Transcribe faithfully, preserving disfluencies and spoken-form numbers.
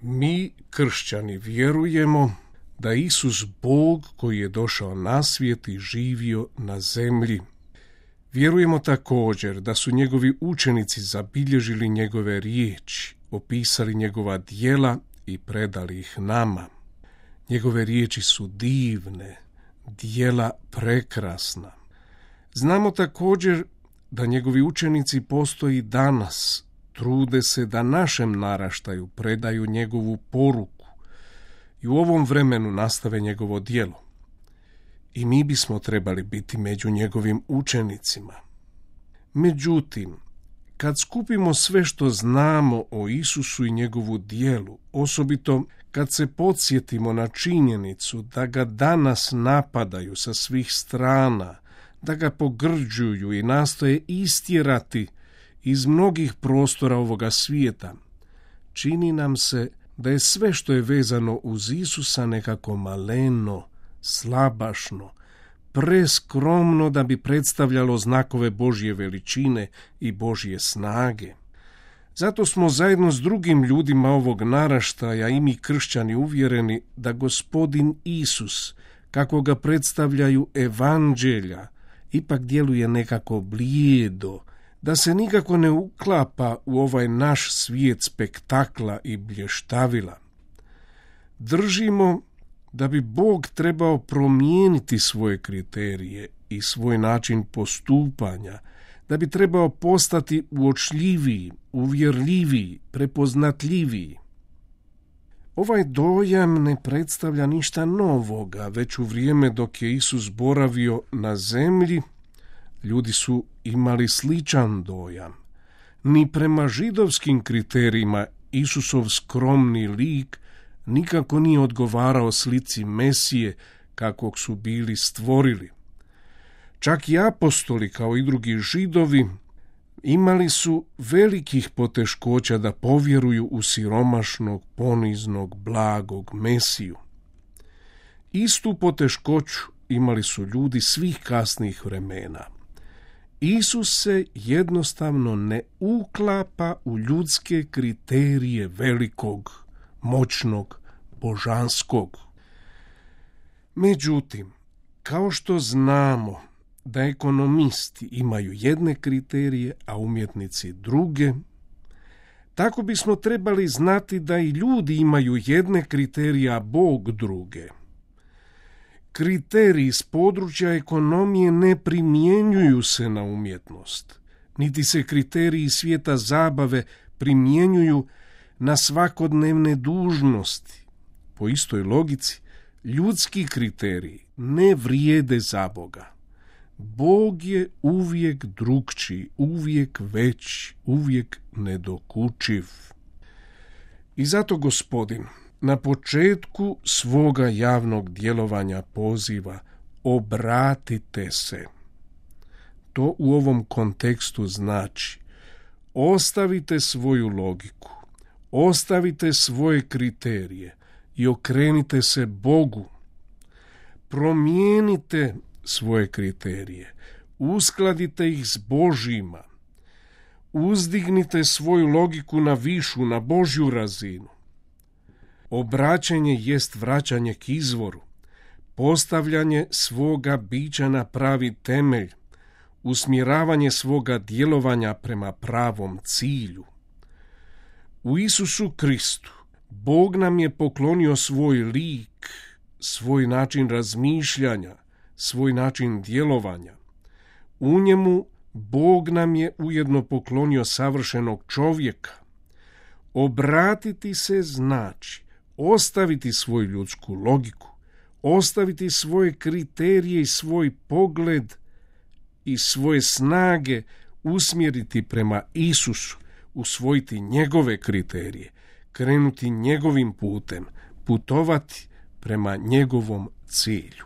Mi, kršćani, vjerujemo da Isus Bog koji je došao na svijet i živio na zemlji. Vjerujemo također da su njegovi učenici zabilježili njegove riječi, opisali njegova djela i predali ih nama. Njegove riječi su divne, djela prekrasna. Znamo također da njegovi učenici postoji danas, trude se da našem naraštaju predaju njegovu poruku i u ovom vremenu nastave njegovo djelo. I mi bismo trebali biti među njegovim učenicima. Međutim, kad skupimo sve što znamo o Isusu i njegovu djelu, osobito kad se podsjetimo na činjenicu da ga danas napadaju sa svih strana, da ga pogrđuju i nastoje istjerati iz mnogih prostora ovoga svijeta, čini nam se da je sve što je vezano uz Isusa nekako maleno, slabašno, preskromno da bi predstavljalo znakove Božje veličine i Božje snage. Zato smo zajedno s drugim ljudima ovog naraštaja i mi kršćani uvjereni da Gospodin Isus, kako ga predstavljaju evanđelja, ipak djeluje nekako blijedo, da se nikako ne uklapa u ovaj naš svijet spektakla i blještavila. Držimo da bi Bog trebao promijeniti svoje kriterije i svoj način postupanja, da bi trebao postati uočljiviji, uvjerljiviji, prepoznatljiviji. Ovaj dojam ne predstavlja ništa novoga, već u vrijeme dok je Isus boravio na zemlji, ljudi su imali sličan dojam. Ni prema židovskim kriterijima Isusov skromni lik nikako nije odgovarao slici Mesije kakvog su bili stvorili. Čak i apostoli, kao i drugi židovi, imali su velikih poteškoća da povjeruju u siromašnog, poniznog, blagog Mesiju. Istu poteškoću imali su ljudi svih kasnih vremena. Isus se jednostavno ne uklapa u ljudske kriterije velikog, moćnog, božanskog. Međutim, kao što znamo da ekonomisti imaju jedne kriterije, a umjetnici druge, tako bismo trebali znati da i ljudi imaju jedne kriterije, a Bog druge. Kriteriji iz područja ekonomije ne primjenjuju se na umjetnost, niti se kriteriji svijeta zabave primjenjuju na svakodnevne dužnosti. Po istoj logici, ljudski kriteriji ne vrijede za Boga. Bog je uvijek drukčiji, uvijek veći, uvijek nedokučiv. I zato Gospodin na početku svoga javnog djelovanja poziva: obratite se. To u ovom kontekstu znači: ostavite svoju logiku, ostavite svoje kriterije i okrenite se Bogu. Promijenite svoje kriterije, uskladite ih s Božjima, uzdignite svoju logiku na višu, na Božju razinu. Obraćanje jest vraćanje k izvoru, postavljanje svoga bića na pravi temelj, usmjeravanje svoga djelovanja prema pravom cilju. U Isusu Kristu Bog nam je poklonio svoj lik, svoj način razmišljanja, svoj način djelovanja. U njemu Bog nam je ujedno poklonio savršenog čovjeka. Obratiti se znači ostaviti svoju ljudsku logiku, ostaviti svoje kriterije i svoj pogled i svoje snage usmjeriti prema Isusu, usvojiti njegove kriterije, krenuti njegovim putem, putovati prema njegovom cilju.